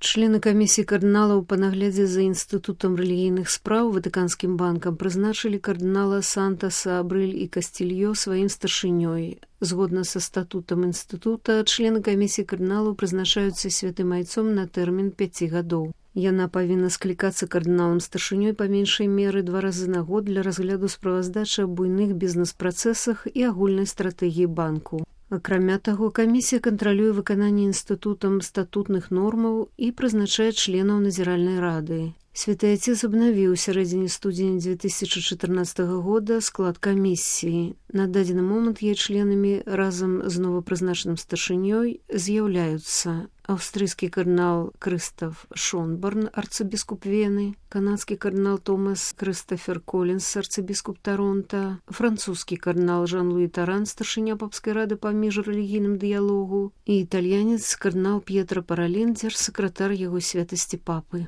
Члены камісіі кардыналаў па наглядзе за інстытутам рэлігійных спраў Ватыканскім банкам прызначылі кардынала Сантаса, Абрыль і Кастильё сваім старшынёй. Згодна са статутам інстытута, члены камісіі кардыналаў прызначаюцца святым айцом на тэрмін 5 гадоў. Яна павінна склікацца кардыналам-старшынёй па меншай меры 2 разы на год для разгляду справаздачы аб буйных бізнес-працэсах і агульнай стратэгіі банку. Акрамя таго, камісія кантралюе выкананне інстытутам статутных нормаў і прызначае членаў назіральнай рады. Святы Айцец абнавіў у сярэдзіне студзеня 2014 года склад камісіі. На дадзены момант яе членамі разам з новапрызначаным старшынёй з'яўляюцца аўстрыйскі кардынал Крыстаф Шонборн, арцыбіскуп Вены, канадскі кардынал Томас Крыстафер Колінс, арцыбіскуп Таронта, французскі кардынал Жан-Луі Таран, старшыня папскай рады па міжрэлігійным дыялогу, і італьянец кардынал П'етра Паралендзер, сакратар яго святасці папы.